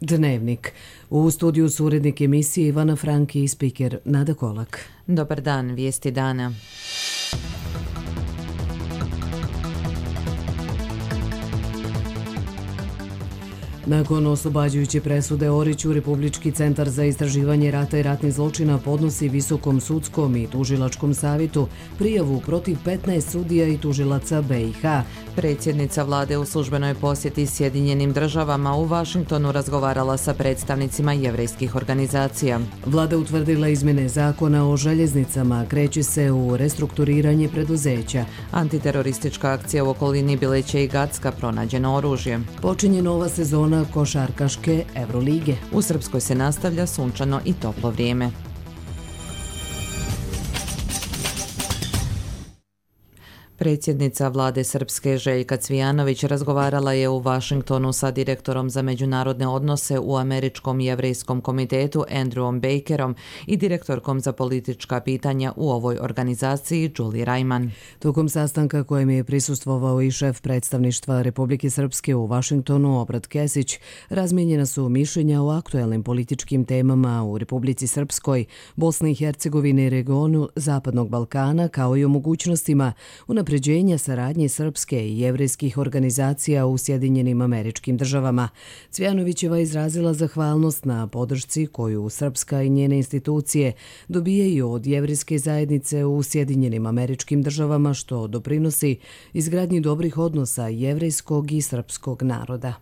Dnevnik. U studiju su urednik emisije Ivana Franki i spiker Nada Kolak. Dobar dan, vijesti dana. Nakon oslobađajuće presude Oriću, Republički centar za istraživanje rata i ratnih zločina podnosi Visokom sudskom i tužilačkom savjetu prijavu protiv 15 sudija i tužilaca BiH. Predsjednica vlade u službenoj posjeti Sjedinjenim državama u Vašingtonu razgovarala sa predstavnicima jevrejskih organizacija. Vlada utvrdila izmjene zakona o željeznicama, kreće se u restrukturiranje preduzeća. Antiteroristička akcija u okolini Bileća i Gacka, pronađeno oružje. Počinje nova sezona košarkaške Evrolige. U Srpskoj se nastavlja sunčano i toplo vrijeme. Predsjednica vlade Srpske Željka Cvijanović razgovarala je u Vašingtonu sa direktorom za međunarodne odnose u Američkom jevrejskom komitetu Andrewom Bakerom i direktorkom za politička pitanja u ovoj organizaciji Julie Rajman. Tokom sastanka kojem je prisustvovao i šef predstavništva Republike Srpske u Vašingtonu Obrat Kesić, razmijenjena su mišljenja o aktuelnim političkim temama u Republici Srpskoj, Bosni i Hercegovini i regionu Zapadnog Balkana, kao i o mogućnostima unapređenja saradnje srpske i jevrejskih organizacija u Sjedinjenim Američkim Državama. Cvijanovićeva izrazila zahvalnost na podršci koju Srpska i njene institucije dobijaju od jevrejske zajednice u Sjedinjenim Američkim Državama, što doprinosi izgradnji dobrih odnosa jevrejskog i srpskog naroda.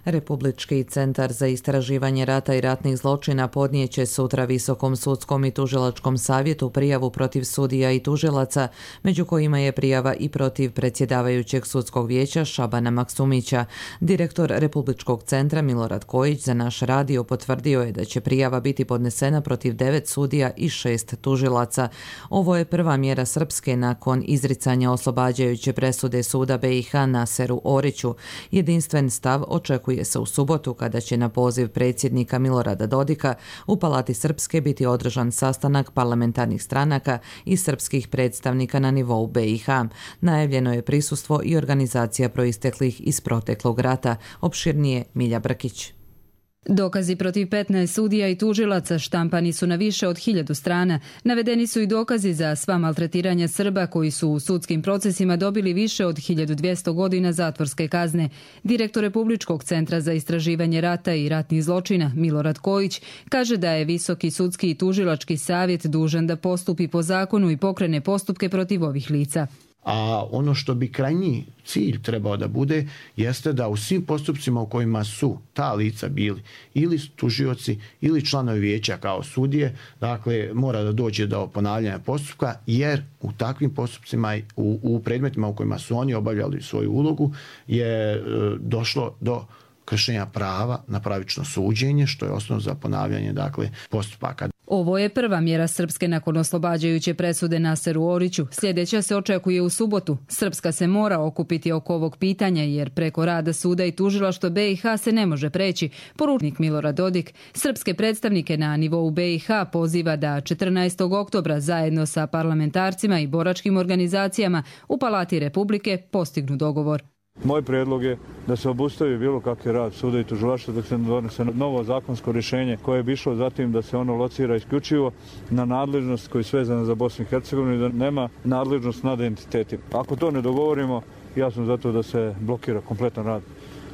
Republički centar za istraživanje rata i ratnih zločina podnijeće sutra Visokom sudskom i tužilačkom savjetu prijavu protiv sudija i tužilaca, među kojima je prijava i protiv predsjedavajućeg sudskog vijeća Šabana Maksumića. Direktor Republičkog centra Milorad Kojić za naš radio potvrdio je da će prijava biti podnesena protiv 9 sudija i 6 tužilaca. Ovo je prva mjera Srpske nakon izricanja oslobađajuće presude suda BiH Naseru Oriću. Jedinstven stav očekuje se u subotu kada će na poziv predsjednika Milorada Dodika u Palati Srpske biti održan sastanak parlamentarnih stranaka i srpskih predstavnika na nivou BiH. Najavljeno je prisustvo i organizacija proisteklih iz proteklog rata. Opširnije Milja Brkić. Dokazi protiv 15 sudija i tužilaca štampani su na više od 1000 strana. Navedeni su i dokazi za sva maltretiranja Srba koji su u sudskim procesima dobili više od 1200 godina zatvorske kazne. Direktor Republičkog centra za istraživanje rata i ratnih zločina Milorad Kojić kaže da je Visoki sudski i tužilački savjet dužan da postupi po zakonu i pokrene postupke protiv ovih lica. A ono što bi krajnji cilj trebao da bude jeste da u svim postupcima u kojima su ta lica bili ili tužioci ili članovi vijeća kao sudije, dakle mora da dođe do ponavljanja postupka, jer u takvim postupcima, u predmetima u kojima su oni obavljali svoju ulogu je došlo do kršenja prava na pravično suđenje, što je osnov za ponavljanje postupaka. Ovo je prva mjera Srpske nakon oslobađajuće presude Naseru Oriću. Sljedeća se očekuje u subotu. Srpska se mora okupiti oko ovog pitanja jer preko rada suda i tužilaštva BiH se ne može preći. Poručnik Milorad Dodik srpske predstavnike na nivou BiH poziva da 14. oktobra zajedno sa parlamentarcima i boračkim organizacijama u Palati Republike postignu dogovor. Moj prijedlog je da se obustavi bilo kakvi rad suda i tužilaštva dok se ne donese novo zakonsko rješenje koje bi išlo zatim da se ono locira isključivo na nadležnost koja je svezana za Bosnu i Hercegovinu i da nema nadležnost nad entitetima. Ako to ne dogovorimo, ja sam zato da se blokira kompletan rad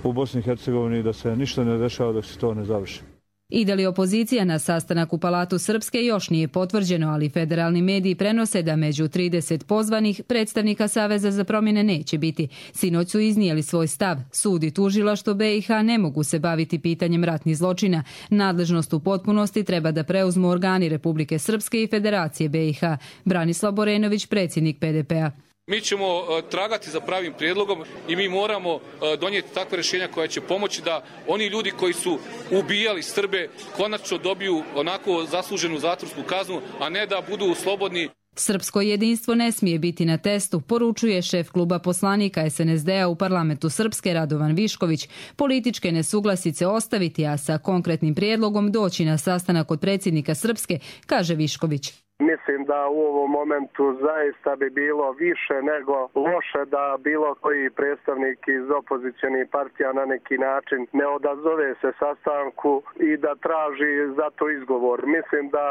u Bosni i Hercegovini i da se ništa ne dešava dok se to ne završi. Ide li opozicija na sastanak u Palatu Srpske još nije potvrđeno, ali federalni mediji prenose da među 30 pozvanih predstavnika Saveza za promjene neće biti. Sinoć su iznijeli svoj stav. Sud i tužilaštvo BiH ne mogu se baviti pitanjem ratnih zločina. Nadležnost u potpunosti treba da preuzmu organi Republike Srpske i Federacije BiH. Branislav Borenović, predsjednik PDP-a. Mi ćemo tragati za pravim prijedlogom i mi moramo donijeti takve rješenja koja će pomoći da oni ljudi koji su ubijali Srbe konačno dobiju onako zasluženu zatvorsku kaznu, a ne da budu slobodni. Srpsko jedinstvo ne smije biti na testu, poručuje šef kluba poslanika SNSD-a u parlamentu Srpske Radovan Višković. Političke nesuglasice ostaviti, a sa konkretnim prijedlogom doći na sastanak kod predsjednika Srpske, kaže Višković. Mislim da u ovom momentu zaista bi bilo više nego loše da bilo koji predstavnik iz opozicionih partija na neki način ne odazove se sastanku i da traži za to izgovor. Mislim da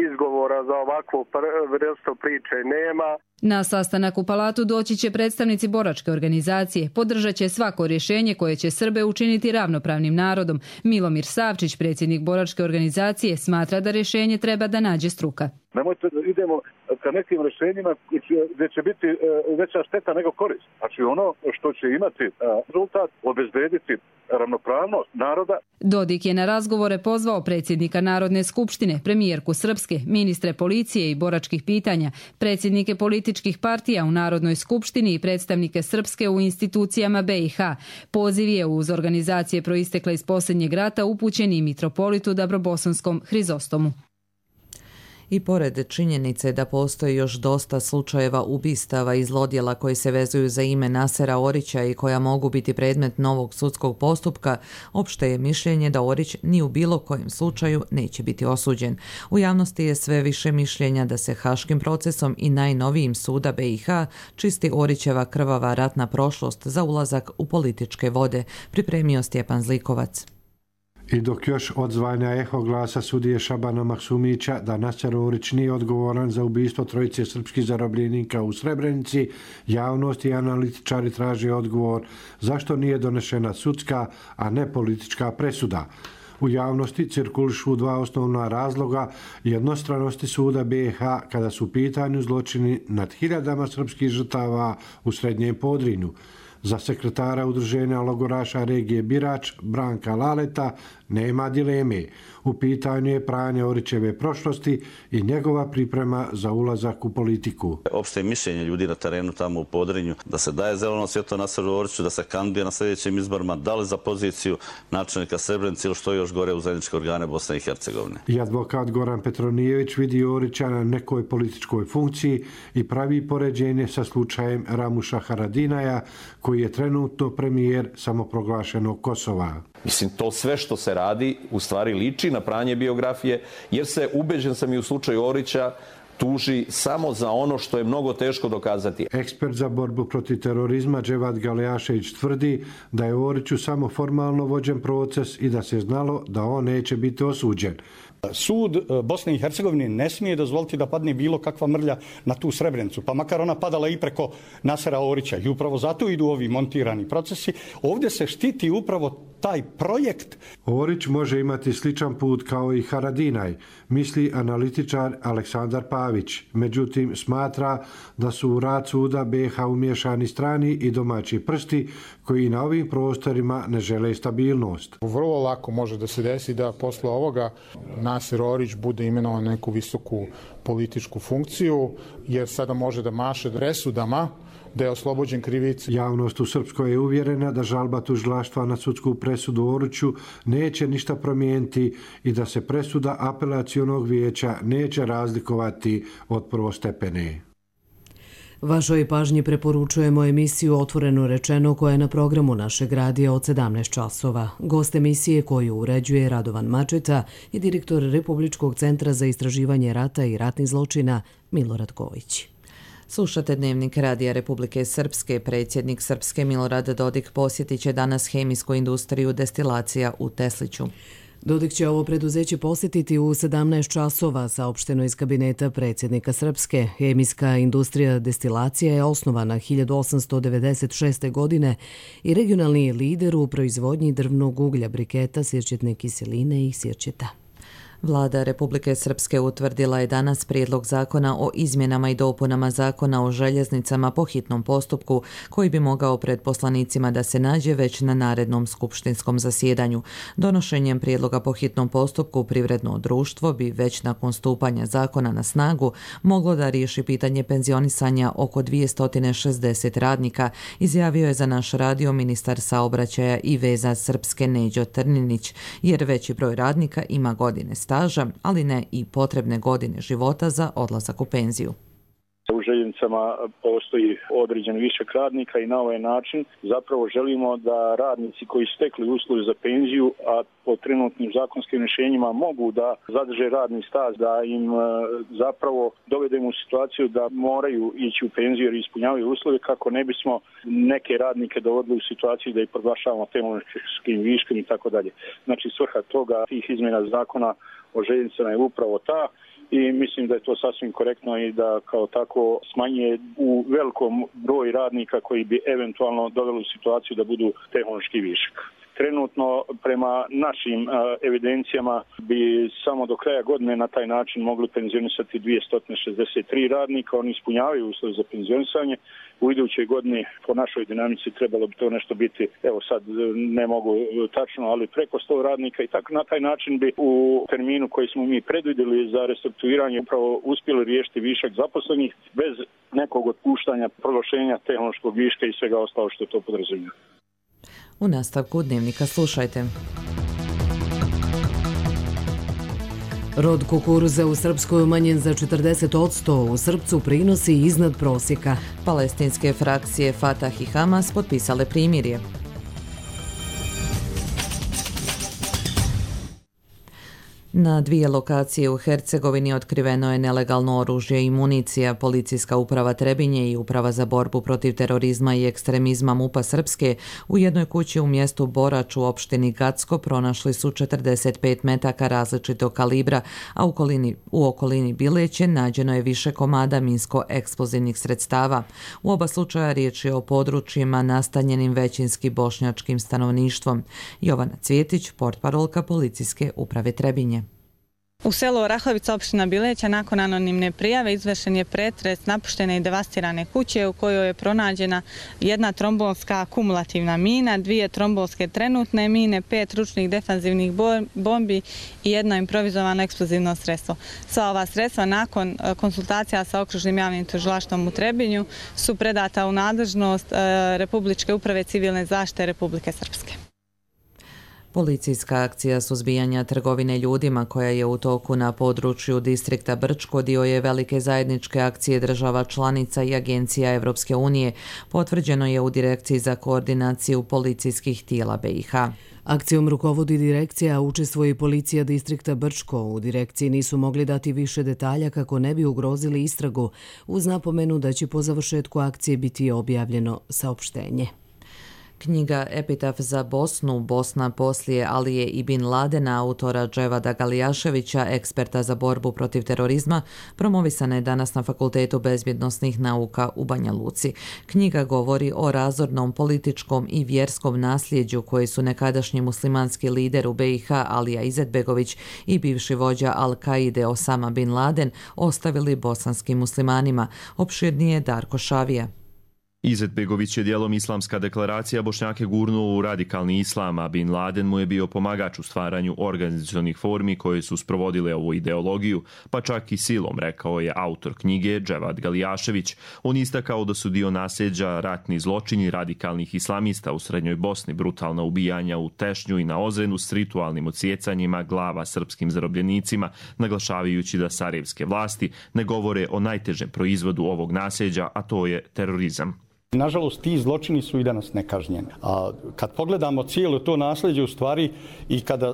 izgovora za ovakvu vrstu priče nema. Na sastanak u Palatu doći će predstavnici boračke organizacije. Podržat će svako rješenje koje će Srbe učiniti ravnopravnim narodom. Milomir Savčić, predsjednik boračke organizacije, smatra da rješenje treba da nađe struka. Nemojte da idemo ka nekim rješenjima gdje će biti veća šteta nego korist. Znači ono što će imati rezultat obezbediti ravnopravnost naroda. Dodik je na razgovore pozvao predsjednika Narodne skupštine, premijerku Srpske, ministre policije i boračkih pitanja, predsjednike političkih partija u Narodnoj skupštini i predstavnike Srpske u institucijama BiH. Poziv je uz organizacije proistekle iz posljednjeg rata upućen i mitropolitu Dabrobosanskom Hrizostomu. I pored činjenice da postoji još dosta slučajeva ubistava i zlodjela koji se vezuju za ime Nasera Orića i koja mogu biti predmet novog sudskog postupka, opšte je mišljenje da Orić ni u bilo kojem slučaju neće biti osuđen. U javnosti je sve više mišljenja da se haškim procesom i najnovijim suda BiH čisti Orićeva krvava ratna prošlost za ulazak u političke vode, pripremio Stjepan Zlikovac. I dok još odzvanja eho glasa sudije Šabana Maksumića da Naser Orić nije odgovoran za ubistvo trojice srpskih zarobljenika u Srebrenici, javnost i analitičari traže odgovor zašto nije donešena sudska, a ne politička presuda. U javnosti cirkulišu dva osnovna razloga jednostranosti suda BiH kada su u pitanju zločini nad hiljadama srpskih žrtava u Srednjem Podrinju. Za sekretara udruženja logoraša regije Birač, Branka Laleta, nema dileme. U pitanju je pranje Orićeve prošlosti i njegova priprema za ulazak u politiku. Opšte mišljenje ljudi na terenu tamo u Podrinju da se daje zeleno svjetlo Naseru Oriću, da se kandiduje na sljedećim izborima, da li za poziciju načelnika Srebrenice ili što je još gore u zajedničke organe Bosne i Hercegovine. I advokat Goran Petronijević vidi Orića na nekoj političkoj funkciji i pravi poređenje sa slučajem Ramuša Haradinaja, koji je trenutno premijer samoproglašenog Kosova. Mislim, to sve što se radi u stvari liči na pranje biografije, jer se, ubeđen sam i u slučaju Orića, tuži samo za ono što je mnogo teško dokazati. Ekspert za borbu protiv terorizma Dževad Galejašević tvrdi da je Oriću samo formalno vođen proces i da se znalo da on neće biti osuđen. Sud Bosne i Hercegovine ne smije dozvoliti da padne bilo kakva mrlja na tu Srebrenicu, pa makar ona padala i preko Nasera Orića. I upravo zato idu ovi montirani procesi. Ovdje se štiti upravo taj projekt. Orić može imati sličan put kao i Haradinaj, misli analitičar Aleksandar Pavić. Međutim, smatra da su u rad suda BiH umiješani strani i domaći prsti koji na ovim prostorima ne žele stabilnost. Vrlo lako može da se desi da posle ovoga Naser Orić bude imenovan na neku visoku političku funkciju, jer sada može da maše presudama da je oslobođen krivice. Javnost u Srpskoj je uvjerena da žalba tužilaštva na sudsku presudu Oriću neće ništa promijeniti i da se presuda apelacionog vijeća neće razlikovati od prvostepene. Vašoj pažnji preporučujemo emisiju Otvoreno rečeno koja je na programu našeg radija od 17 časova. Gost emisije koju uređuje Radovan Mačeta je direktor Republičkog centra za istraživanje rata i ratnih zločina Milorad Gojić. Slušate Dnevnik Radija Republike Srpske. Predsjednik Srpske Milorad Dodik posjetit će danas hemijsku industriju Destilacija u Tesliću. Dodik će ovo preduzeće posjetiti u 17 časova, saopšteno iz kabineta predsjednika Srpske. Hemijska industrija Destilacija je osnovana 1896. godine i regionalni je lider u proizvodnji drvnog uglja, briketa, sirćetne kiseline i sirćeta. Vlada Republike Srpske utvrdila je danas prijedlog zakona o izmjenama i dopunama zakona o željeznicama po hitnom postupku, koji bi mogao pred poslanicima da se nađe već na narednom skupštinskom zasjedanju. Donošenjem prijedloga po hitnom postupku privredno društvo bi već nakon stupanja zakona na snagu moglo da riješi pitanje penzionisanja oko 260 radnika, izjavio je za naš radio ministar saobraćaja i veza Srpske Neđo Trninić, jer veći broj radnika ima godine staža, ali ne i potrebne godine života za odlazak u penziju. U željeznici željeznicama postoji određen višak radnika i na ovaj način zapravo želimo da radnici koji su stekli uslove za penziju, a po trenutnim zakonskim rješenjima mogu da zadrže radni staž, da im zapravo dovedemo u situaciju da moraju ići u penziju jer ispunjavaju uslove, kako ne bismo neke radnike dovodili u situaciju da ih proglašavamo tehnološkim viškom i tako dalje. Znači svrha toga tih izmjena zakona o željeznicama je upravo ta i mislim da je to sasvim korektno i da kao tako smanjuje u velikom broj radnika koji bi eventualno doveli u situaciju da budu tehnološki višak. Trenutno prema našim evidencijama bi samo do kraja godine na taj način mogli penzionisati 263 radnika, oni ispunjavaju uslove za penzionisanje. U idućoj godini po našoj dinamici trebalo bi to nešto biti, evo sad ne mogu tačno, ali preko 100 radnika i tako na taj način bi u terminu koji smo mi predvidjeli za restrukturiranje upravo uspjeli riješiti višak zaposlenih bez nekog otpuštanja, proglašenja tehnološkog viška i svega ostalo što to podrazumijeva. U nastavku Dnevnika slušajte. Rod kukuruza u Srpskoj umanjen za 40%, u Srpcu prinosi iznad prosjeka. Palestinske frakcije Fatah i Hamas potpisale primirje. Na 2 lokacije u Hercegovini otkriveno je nelegalno oružje i municija. Policijska uprava Trebinje i Uprava za borbu protiv terorizma i ekstremizma MUP-a Srpske u jednoj kući u mjestu Borač u opštini Gacko pronašli su 45 metaka različitog kalibra, a u okolini Bileće nađeno je više komada minsko-eksplozivnih sredstava. U oba slučaja riječ je o područjima nastanjenim većinski bošnjačkim stanovništvom. Jovana Cvjetić, portparolka Policijske uprave Trebinje. U selu Orahovica, opština Bileća, nakon anonimne prijave izvršen je pretres napuštene i devastirane kuće u kojoj je pronađena jedna trombolska kumulativna mina, 2 trombolske trenutne mine, 5 ručnih defanzivnih bombi i jedno improvizovano eksplozivno sredstvo. Sva ova sredstva nakon konsultacija sa okružnim javnim tužilaštvom u Trebinju su predata u nadležnost Republičke uprave civilne zaštite Republike Srpske. Policijska akcija suzbijanja trgovine ljudima koja je u toku na području distrikta Brčko dio je velike zajedničke akcije država članica i agencija Evropske unije, potvrđeno je u Direkciji za koordinaciju policijskih tijela BiH. Akcijom rukovodi direkcija, a učestvuje i policija distrikta Brčko. U direkciji nisu mogli dati više detalja kako ne bi ugrozili istragu, uz napomenu da će po završetku akcije biti objavljeno saopštenje. Knjiga Epitaf za Bosnu, Bosna poslije Alije i Bin Ladena, autora Dževada Galijaševića, eksperta za borbu protiv terorizma, promovisana je danas na Fakultetu bezbjednosnih nauka u Banja Luci. Knjiga govori o razornom političkom i vjerskom nasljeđu koji su nekadašnji muslimanski lider u BiH Alija Izetbegović i bivši vođa Al-Kaide Osama Bin Laden ostavili bosanskim muslimanima. Opširnije Darko Šavija. Izetbegović je dijelom islamska deklaracija Bošnjake gurnuo u radikalni islam, a Bin Laden mu je bio pomagač u stvaranju organizacionih formi koje su sprovodile ovu ideologiju, pa čak i silom, rekao je autor knjige Dževad Galijašević. On istakao da su dio nasljeđa ratni zločini radikalnih islamista u Srednjoj Bosni, brutalna ubijanja u Tešnju i na Ozrenu s ritualnim odsjecanjima glava srpskim zarobljenicima, naglašavajući da sarajevske vlasti ne govore o najtežem proizvodu ovog nasljeđa, a to je terorizam. Nažalost, ti zločini su i danas nekažnjeni. A kad pogledamo cijelo to nasljeđe u stvari i kada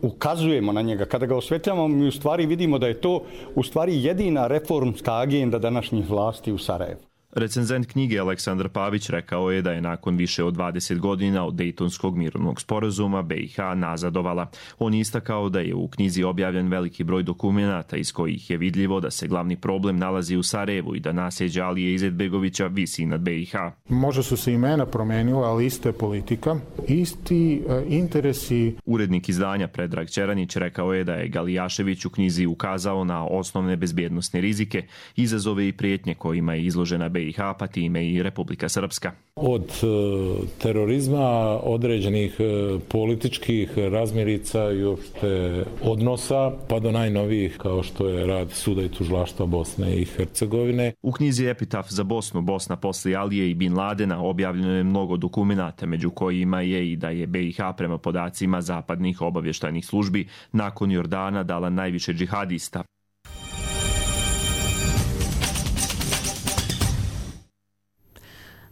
ukazujemo na njega, kada ga osvetljavamo, mi u stvari vidimo da je to u stvari jedina reformska agenda današnjih vlasti u Sarajevu. Recenzent knjige Aleksandar Pavić rekao je da je nakon više od 20 godina od Dejtonskog mirovnog sporazuma BiH nazadovala. On je istakao da je u knjizi objavljen veliki broj dokumenata iz kojih je vidljivo da se glavni problem nalazi u Sarajevu i da nasljeđe Alije Izetbegovića visi nad BiH. Možda su se imena promenila, ali ista je politika, isti interesi. Urednik izdanja Predrag Ćeranić rekao je da je Galijašević u knjizi ukazao na osnovne bezbjednosne rizike, izazove i prijetnje kojima je izložena BiH, pa time i Republika Srpska. Od terorizma, određenih političkih razmirica i uopšte odnosa, pa do najnovijih kao što je rad Suda i tužilaštva Bosne i Hercegovine. U knjizi Epitaf za Bosnu, Bosna poslije Alije i Bin Ladena objavljeno je mnogo dokumenata, među kojima je i da je BiH prema podacima zapadnih obavještajnih službi nakon Jordana dala najviše džihadista.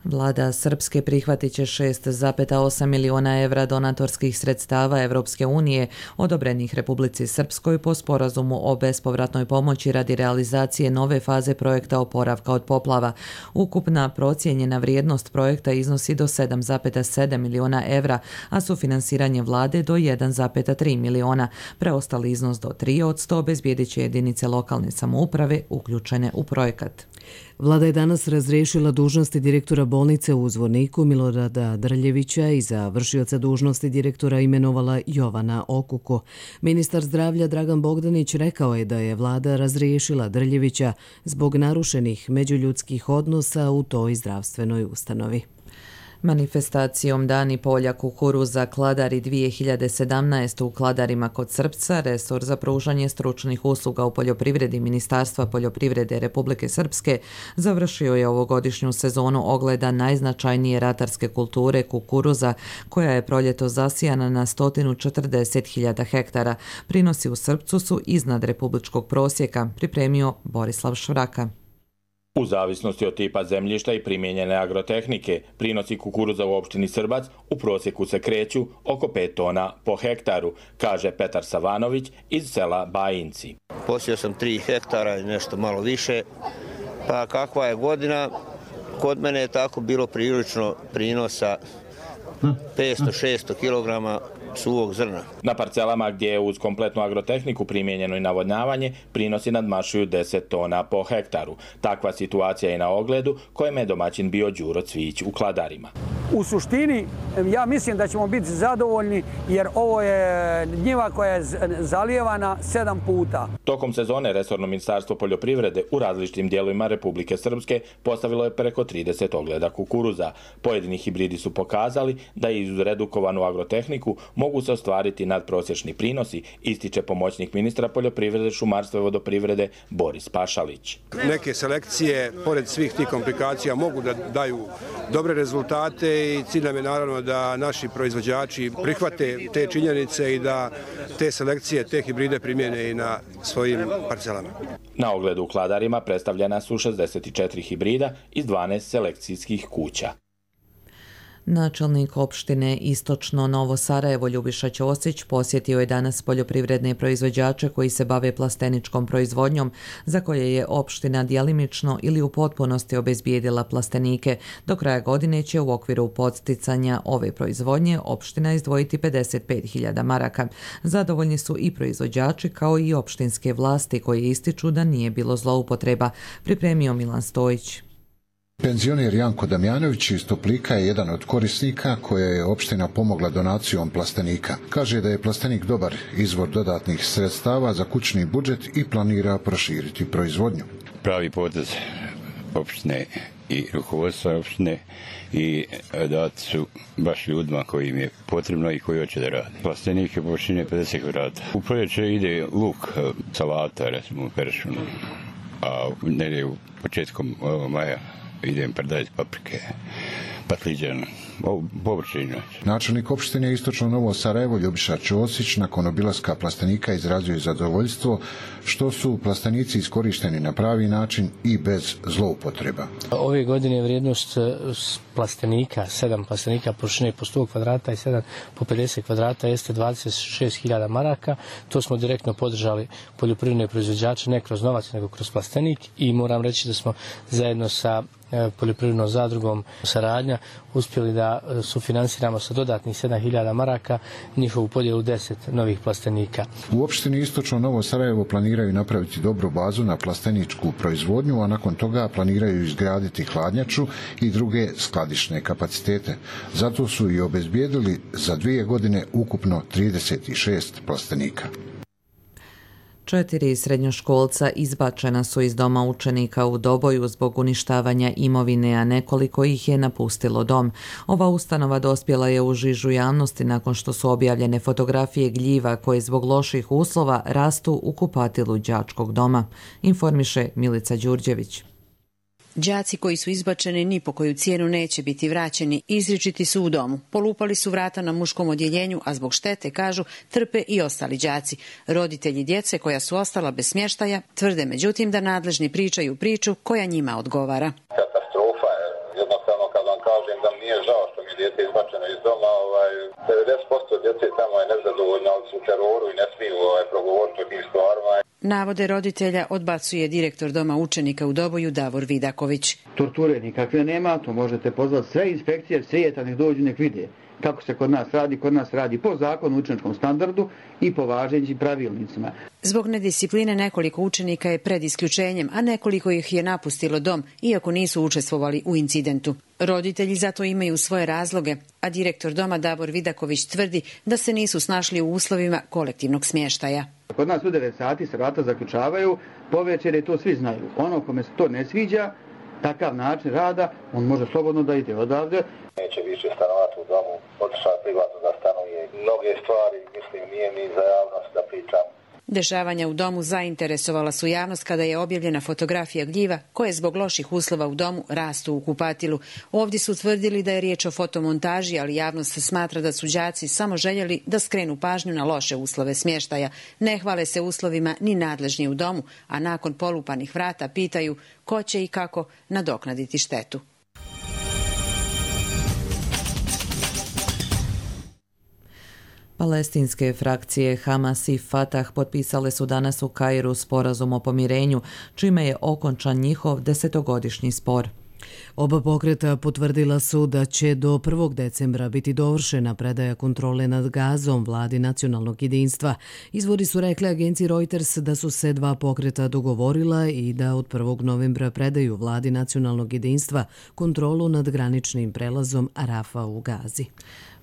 Vlada Srpske prihvatit će 6,8 miliona evra donatorskih sredstava Evropske unije odobrenih Republici Srpskoj po sporazumu o bespovratnoj pomoći radi realizacije nove faze projekta oporavka od poplava. Ukupna procijenjena vrijednost projekta iznosi do 7,7 miliona evra, a sufinansiranje vlade do 1,3 miliona. Preostali iznos do 3% obezbijedit će jedinice lokalne samouprave uključene u projekat. Vlada je danas razriješila dužnosti direktora bolnice u Zvorniku Milorada Drljevića i za vršioca dužnosti direktora imenovala Jovana Okuko. Ministar zdravlja Dragan Bogdanić rekao je da je vlada razriješila Drljevića zbog narušenih međuljudskih odnosa u toj zdravstvenoj ustanovi. Manifestacijom Dani polja kukuruza Kladari 2017 u Kladarima kod Srpca, resor za pružanje stručnih usluga u poljoprivredi Ministarstva poljoprivrede Republike Srpske završio je ovogodišnju sezonu ogleda najznačajnije ratarske kulture kukuruza, koja je proljeto zasijana na 140.000 hektara. Prinosi u Srpcu su iznad republičkog prosjeka, pripremio Borislav Švraka. U zavisnosti od tipa zemljišta i primijenjene agrotehnike, prinosi kukuruza u opštini Srbac u prosjeku se kreću oko 5 tona po hektaru, kaže Petar Savanović iz sela Bajinci. Posio sam 3 hektara i nešto malo više, pa kakva je godina, kod mene je tako bilo prilično prinosa 500-600 kilograma suvog zrna. Na parcelama gdje je uz kompletnu agrotehniku primijenjeno i navodnjavanje, prinosi nadmašuju 10 tona po hektaru. Takva situacija je na ogledu kojem je domaćin bio Đuro Cvić u Kladarima. U suštini, ja mislim da ćemo biti zadovoljni jer ovo je njiva koja je zalijevana 7 puta. Tokom sezone resorno ministarstvo poljoprivrede u različitim dijelovima Republike Srpske postavilo je preko 30 ogleda kukuruza. Pojedini hibridi su pokazali da i uz redukovanu agrotehniku mogu se ostvariti nadprosječni prinosi, ističe pomoćnik ministra poljoprivrede, šumarstva i vodoprivrede Boris Pašalić. Neke selekcije, pored svih tih komplikacija, mogu da daju dobre rezultate i cilj nam je naravno da naši proizvođači prihvate te činjenice i da te selekcije, te hibride primjene i na svojim parcelama. Na ogledu u Kladarima predstavljena su 64 hibrida iz 12 selekcijskih kuća. Načelnik opštine Istočno Novo Sarajevo Ljubiša Ćosić posjetio je danas poljoprivredne proizvođače koji se bave plasteničkom proizvodnjom, za koje je opština djelimično ili u potpunosti obezbijedila plastenike. Do kraja godine će u okviru podsticanja ove proizvodnje opština izdvojiti 55.000 maraka. Zadovoljni su i proizvođači kao i opštinske vlasti koji ističu da nije bilo zloupotreba, pripremio Milan Stojić. Penzioner Janko Damjanović iz Toplika je jedan od korisnika koja je opština pomogla donacijom plastenika. Kaže da je plastenik dobar izvor dodatnih sredstava za kućni budžet i planira proširiti proizvodnju. Pravi potez opštine i rukovodstva opštine i dati su baš ljudima koji im je potrebno i koji hoće da radi. Plastenik je površine 50 kvadrata. U proljeće ide luk, salata, recimo peršun, a negdje u početkom maja idem predati paprike, patliđan, povrćine. Načelnik opštine Istočno Novo Sarajevo Ljubiša Ćosić nakon obilaska plastenika izrazio je zadovoljstvo što su plastenici iskorišteni na pravi način i bez zloupotreba. Ove godine je vrijednost plastenika, 7 plastenika površine po 100 kvadrata i 7 po 50 kvadrata jeste 26.000 maraka. To smo direktno podržali poljoprivredne proizvođače, ne kroz novac nego kroz plastenik, i moram reći da smo zajedno sa poljoprivrednom zadrugom Saradnja uspjeli da sufinansiramo sa dodatnih 7.000 maraka njihovu podjelu 10 novih plastenika. U opštini Istočno Novo Sarajevo planiraju napraviti dobru bazu na plasteničku proizvodnju, a nakon toga planiraju izgraditi hladnjaču i druge skladišne kapacitete. Zato su i obezbijedili za 2 godine ukupno 36 plastenika. 4 srednjoškolca izbačena su iz doma učenika u Doboju zbog uništavanja imovine, a nekoliko ih je napustilo dom. Ova ustanova dospjela je u žižu javnosti nakon što su objavljene fotografije gljiva koje zbog loših uslova rastu u kupatilu đačkog doma, informiše Milica Đurđević. Đaci koji su izbačeni ni po koju cijenu neće biti vraćeni, izričiti su u domu. Polupali su vrata na muškom odjeljenju, a zbog štete, kažu, trpe i ostali đaci. Roditelji djece koja su ostala bez smještaja tvrde međutim da nadležni pričaju priču koja njima odgovara. Katastrofa je, jednostavno kad vam dijete izbačeno iz doma, 90% djece tamo je nezadovoljno, ali su u teroru i ne smiju progovoriti o tim stvarima. Navode roditelja odbacuje direktor Doma učenika u Doboju Davor Vidaković. Torture nikakve nema, to možete pozvati sve inspekcije, svijeta nek dođu nek vide. Kako se kod nas radi po zakonu o učeničkom standardu i po važećim pravilnicima. Zbog nediscipline nekoliko učenika je pred isključenjem, a nekoliko ih je napustilo dom, iako nisu učestvovali u incidentu. Roditelji zato imaju svoje razloge, a direktor Doma Davor Vidaković tvrdi da se nisu snašli u uslovima kolektivnog smještaja. Kod nas u 9 sati se vrata zaključavaju, povečer je to svi znaju. Ono kome se to ne sviđa, takav način rada, on može slobodno da ide odavde. Neće više stanovati u domu, otišao privatno da stanuje. Mnoge stvari, mislim, nije mi za javnost da pričam. Dešavanja u domu zainteresovala su javnost kada je objavljena fotografija gljiva koje zbog loših uslova u domu rastu u kupatilu. Ovdje su tvrdili da je riječ o fotomontaži, ali javnost smatra da su đaci samo željeli da skrenu pažnju na loše uslove smještaja. Ne hvale se uslovima ni nadležni u domu, a nakon polupanih vrata pitaju ko će i kako nadoknaditi štetu. Palestinske frakcije Hamas i Fatah potpisale su danas u Kairu sporazum o pomirenju, čime je okončan njihov 10-godišnji spor. Oba pokreta potvrdila su da će do 1. decembra biti dovršena predaja kontrole nad Gazom vladi nacionalnog jedinstva. Izvori su rekli agenciji Reuters da su se dva pokreta dogovorila i da od 1. novembra predaju vladi nacionalnog jedinstva kontrolu nad graničnim prelazom Arafa u Gazi.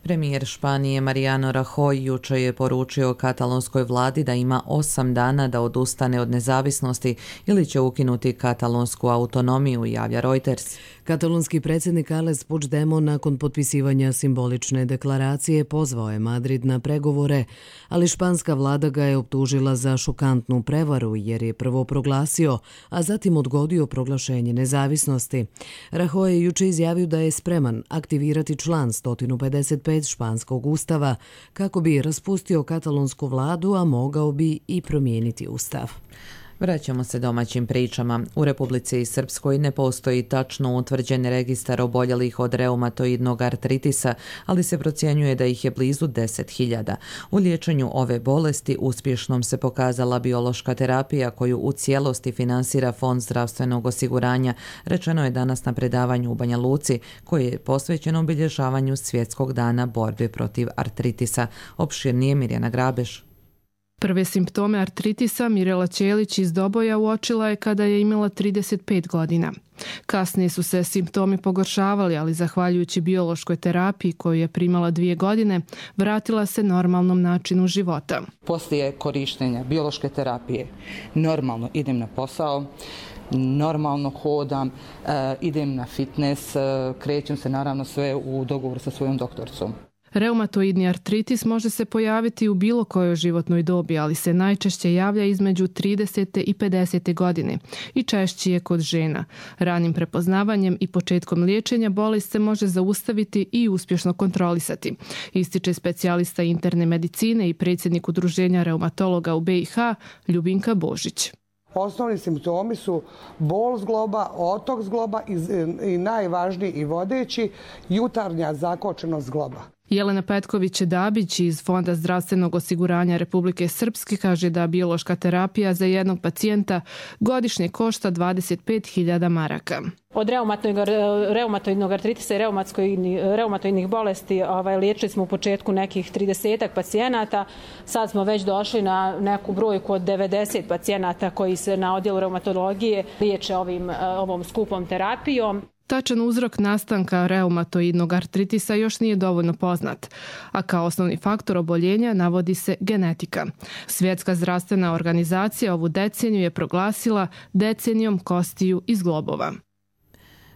Premijer Španije Mariano Rajoy jučer je poručio katalonskoj vladi da ima 8 dana da odustane od nezavisnosti ili će ukinuti katalonsku autonomiju, javlja Reuters. Katalonski predsjednik Carles Puigdemont nakon potpisivanja simbolične deklaracije pozvao je Madrid na pregovore, ali španska vlada ga je optužila za šokantnu prevaru jer je prvo proglasio, a zatim odgodio proglašenje nezavisnosti. Rajoy je jučer izjavio da je spreman aktivirati član 155 španskog ustava kako bi raspustio katalonsku vladu, a mogao bi i promijeniti ustav. Vraćamo se domaćim pričama. U Republici Srpskoj ne postoji tačno utvrđen registar oboljelih od reumatoidnog artritisa, ali se procjenjuje da ih je blizu 10.000. U liječenju ove bolesti uspješnom se pokazala biološka terapija koju u cijelosti finansira Fond zdravstvenog osiguranja, rečeno je danas na predavanju u Banja Luci, koje je posvećeno obilježavanju Svjetskog dana borbe protiv artritisa. Opširnije Mirjana Grabeš. Prve simptome artritisa Mirela Ćelić iz Doboja uočila je kada je imala 35 godina. Kasnije su se simptomi pogoršavali, ali zahvaljujući biološkoj terapiji koju je primala 2 godine, vratila se normalnom načinu života. Poslije korištenja biološke terapije normalno idem na posao, normalno hodam, idem na fitness, krećem se naravno sve u dogovoru sa svojom doktoricom. Reumatoidni artritis može se pojaviti u bilo kojoj životnoj dobi, ali se najčešće javlja između 30. i 50. godine i češće je kod žena. Ranim prepoznavanjem i početkom liječenja bolest se može zaustaviti i uspješno kontrolisati, ističe specijalista interne medicine i predsjednik Udruženja reumatologa u BiH Ljubinka Božić. Osnovni simptomi su bol zgloba, otok zgloba i najvažniji i vodeći jutarnja zakočenost zgloba. Jelena Petković-Dabić iz Fonda zdravstvenog osiguranja Republike Srpske kaže da biološka terapija za jednog pacijenta godišnje košta 25.000 maraka. Od reumatoidnog artritisa i reumatoidnih bolesti liječili smo u početku nekih 30 pacijenata. Sad smo već došli na neku brojku od 90 pacijenata koji se na odjelu reumatologije liječe ovom skupom terapijom. Tačan uzrok nastanka reumatoidnog artritisa još nije dovoljno poznat, a kao osnovni faktor oboljenja navodi se genetika. Svjetska zdravstvena organizacija ovu deceniju je proglasila decenijom kostiju i zglobova.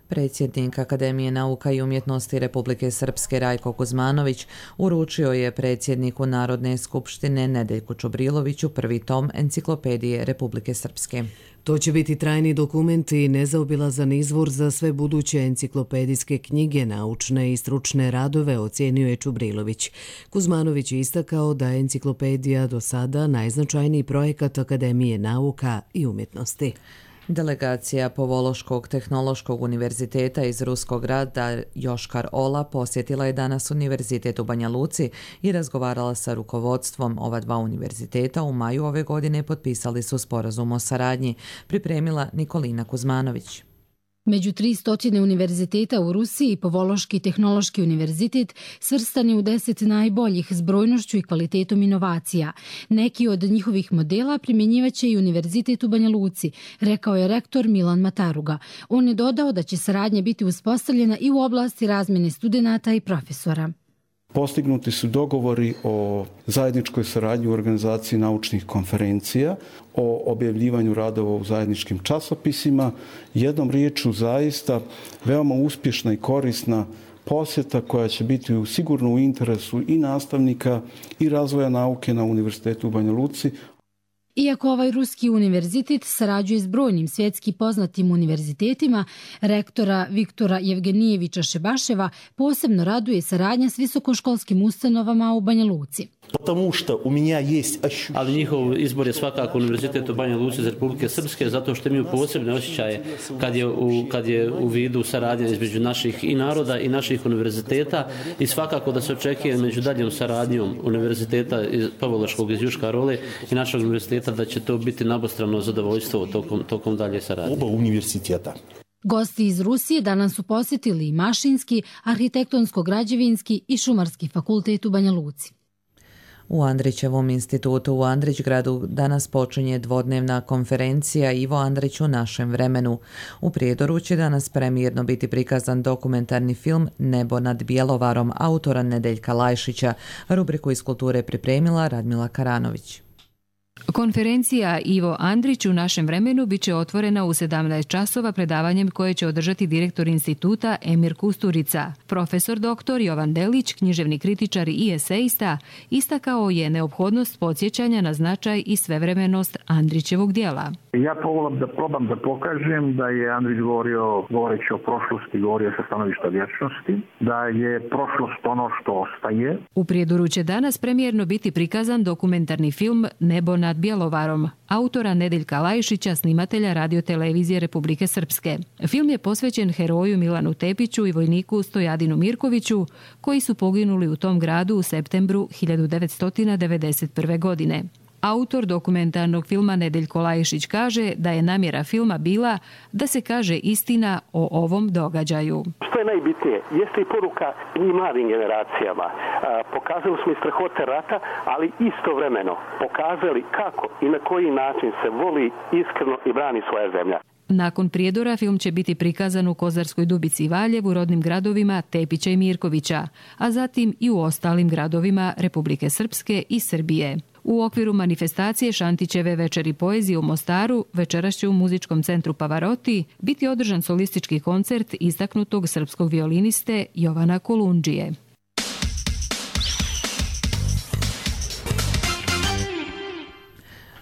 Predsjednik Akademije nauka i umjetnosti Republike Srpske Rajko Kuzmanović uručio je predsjedniku Narodne skupštine Nedeljku Čobriloviću prvi tom Enciklopedije Republike Srpske. To će biti trajni dokument i nezaobilazan izvor za sve buduće enciklopedijske knjige, naučne i stručne radove, ocijenio je Čubrilović. Kuzmanović je istakao da je enciklopedija do sada najznačajniji projekat Akademije nauka i umjetnosti. Delegacija Povološkog tehnološkog univerziteta iz ruskog grada Joškar-Ola posjetila je danas Univerzitet u Banja Luci i razgovarala sa rukovodstvom ova dva univerziteta. U maju ove godine potpisali su sporazum o saradnji, pripremila Nikolina Kuzmanović. Među 300 univerziteta u Rusiji, Povološki tehnološki univerzitet svrstan je u 10 najboljih s brojnošću i kvalitetom inovacija. Neki od njihovih modela primjenjivaće i Univerzitet u Banja Luci, rekao je rektor Milan Mataruga. On je dodao da će saradnja biti uspostavljena i u oblasti razmjene studenata i profesora. Postignuti su dogovori o zajedničkoj saradnji u organizaciji naučnih konferencija, o objavljivanju radova u zajedničkim časopisima. Jednom riječju zaista veoma uspješna i korisna posjeta koja će biti sigurno u interesu i nastavnika i razvoja nauke na Univerzitetu u Banja Luci. Iako ovaj ruski univerzitet sarađuje s brojnim svjetski poznatim univerzitetima, rektora Viktora Jevgenijevića Šebaševa posebno raduje saradnja s visokoškolskim ustanovama u Banja Luci. Ali njihov izbor je svakako Univerzitet u Banja Luci za Republike Srpske, zato što imaju posebne osjećaje kad je u vidu saradnja između naših i naroda i naših univerziteta, i svakako da se očekuje među daljom saradnjom Univerziteta Povološkog iz Joškar-Ole i našeg univerziteta da će to biti nabostrano zadovoljstvo tokom dalje saradnje. Oba univerziteta. Gosti iz Rusije danas su posjetili i Mašinski, Arhitektonsko-građevinski i Šumarski fakultet u Banja Luci. U Andrićevom institutu u Andrićgradu danas počinje dvodnevna konferencija Ivo Andrić u našem vremenu. U Prijedoru će danas premijerno biti prikazan dokumentarni film Nebo nad Bjelovarom autora Nedeljka Lajšića. Rubriku iz kulture pripremila Radmila Karanović. Konferencija Ivo Andrić u našem vremenu biće otvorena u 17 časova predavanjem koje će održati direktor instituta Emir Kusturica. Profesor dr. Jovan Delić, književni kritičar i esejista, istakao je neophodnost podsjećanja na značaj i svevremenost Andrićevog djela. Ja probam da pokažem da je Andrić govoreći o prošlosti, govorio sa stanovišta vječnosti, da je prošlost ono što ostaje. U Prijedoru će danas premijerno biti prikazan dokumentarni film Nebo nad Bjelovarom, autora Nedeljka Lajšića, snimatelja radiotelevizije Republike Srpske. Film je posvećen heroju Milanu Tepiću i vojniku Stojadinu Mirkoviću, koji su poginuli u tom gradu u septembru 1991. godine. Autor dokumentarnog filma Nedeljko Lajšić kaže da je namjera filma bila da se kaže istina o ovom događaju. Što je najbitnije, jeste i poruka i mladim generacijama. Pokazali smo i strahote rata, ali istovremeno pokazali kako i na koji način se voli iskreno i brani svoja zemlja. Nakon Prijedora film će biti prikazan u Kozarskoj Dubici i Valjevu, rodnim gradovima Tepića i Mirkovića, a zatim i u ostalim gradovima Republike Srpske i Srbije. U okviru manifestacije Šantićeve večeri poezije u Mostaru večeras će u muzičkom centru Pavaroti biti održan solistički koncert istaknutog srpskog violiniste Jovana Kolundžije.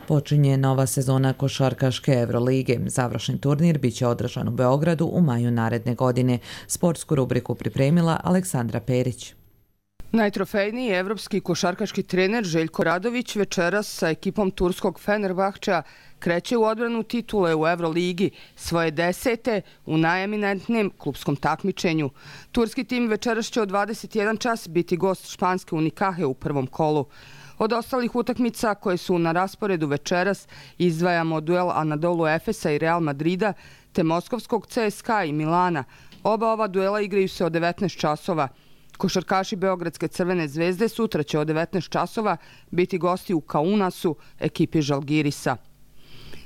Počinje nova sezona košarkaške Evrolige. Završni turnir biće održan u Beogradu u maju naredne godine. Sportsku rubriku pripremila Aleksandra Perić. Najtrofejniji evropski košarkaški trener Željko Radović večeras sa ekipom turskog Fenerbahča kreće u odbranu titule u Evroligi, svoje 10. u najeminentnijem klubskom takmičenju. Turski tim večeras će od 21 čas biti gost španske Unikahe u prvom kolu. Od ostalih utakmica koje su na rasporedu večeras izdvajamo duel Anadolu Efesa i Real Madrida te moskovskog CSKA i Milana. Oba ova duela igraju se od 19 časova. Košarkaši Beogradske Crvene zvezde sutra će od 19 časova biti gosti u Kaunasu, ekipi Žalgirisa.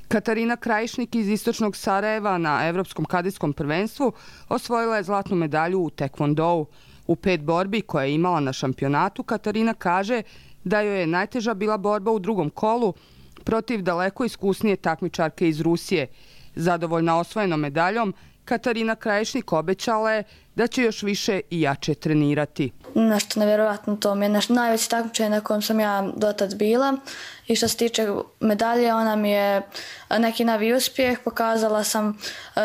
Katarina Krajišnik iz istočnog Sarajeva na Evropskom kadetskom prvenstvu osvojila je zlatnu medalju u tekvondou. U 5 borbi koje je imala na šampionatu, Katarina kaže da joj je najteža bila borba u drugom kolu protiv daleko iskusnije takmičarke iz Rusije. Zadovoljna osvojenom medaljom, Katarina Krajišnik obećala je da će još više i jače trenirati. Nešto nevjerovatno, to mi je najveće takmičenje na kojem sam ja dotad bila i što se tiče medalje, ona mi je neki novi uspjeh. Pokazala sam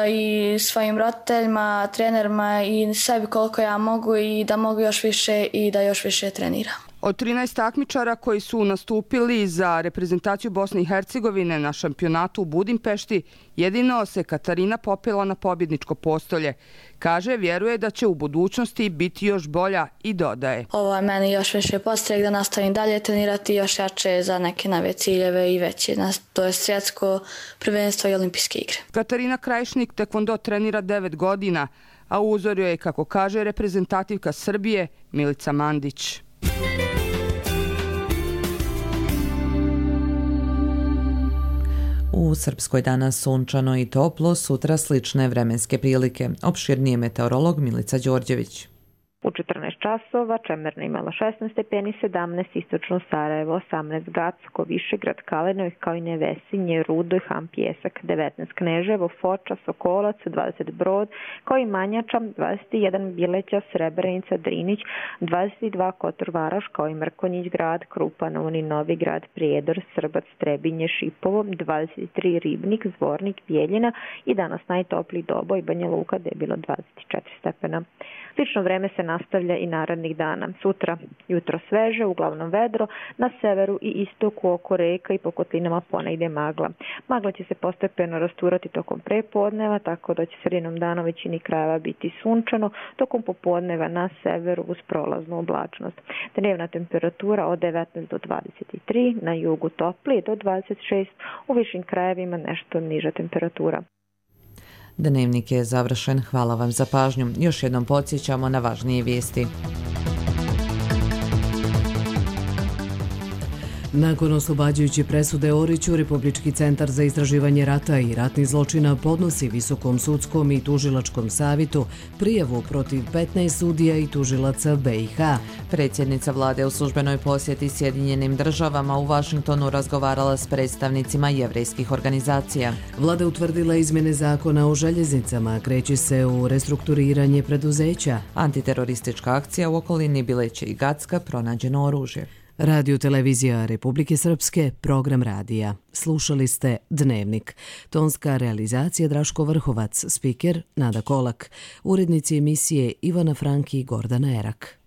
i svojim roditeljima, trenerima i sebi koliko ja mogu i da mogu još više i da još više treniram. Od 13 takmičara koji su nastupili za reprezentaciju Bosne i Hercegovine na šampionatu u Budimpešti, jedino se Katarina popela na pobjedničko postolje. Kaže, vjeruje da će u budućnosti biti još bolja i dodaje. Ovo je meni još više podstrek da nastavim dalje trenirati još jače za neke nove ciljeve i veće. To je svjetsko prvenstvo i olimpijske igre. Katarina Krajišnik tekvondo trenira 9 godina, a uzor joj je, kako kaže reprezentativka Srbije, Milica Mandić. U Srpskoj danas sunčano i toplo, sutra slične vremenske prilike. Opširnije meteorolog Milica Đorđević. U 14 časova Čemerna imala 16 stepeni, 17 istočno Sarajevo, 18 Gacko, Višegrad, Kalenović kao i Nevesinje, Rudoj, Han Pjesak, 19 Kneževo, Foča, Sokolac, 20 Brod, kao i Manjača, 21 Bileća, Srebrenica, Drinić, 22 Kotor Varoš, kao i Mrkonjić grad, Krupan, Uni, Novi grad, Prijedor, Srbac, Trebinje, Šipovo, 23 Ribnik, Zvornik, Bijeljina i danas najtopliji Doboj, Banja Luka, gde je bilo 24 stepena. Slično vreme se nastavlja i narednih dana. Sutra jutro sveže, uglavnom vedro, na severu i istoku oko reka i po kotlinama ponegdje magla. Magla će se postepeno rasturati tokom prepodneva, tako da će sredinom dana u većini krajeva biti sunčano, tokom popodneva na severu uz prolaznu oblačnost. Dnevna temperatura od 19 do 23, na jugu toplije do 26, u višim krajevima nešto niža temperatura. Dnevnik je završen. Hvala vam za pažnju. Još jednom podsjećamo na važnije vijesti. Nakon oslobađajuće presude Oriću, Republički centar za istraživanje rata i ratnih zločina podnosi Visokom sudskom i tužilačkom savjetu prijavu protiv 15 sudija i tužilaca BiH. Predsjednica vlade u službenoj posjeti Sjedinjenim državama u Vašingtonu razgovarala s predstavnicima jevrejskih organizacija. Vlada utvrdila izmjene zakona o željeznicama, kreće se u restrukturiranje preduzeća. Antiteroristička akcija u okolini Bileće i Gacka, pronađeno oružje. Radio Televizija Republike Srpske, program radija. Slušali ste Dnevnik. Tonska realizacija Draško Vrhovac, spiker Nada Kolak. Urednici emisije Ivana Franki i Gordana Erak.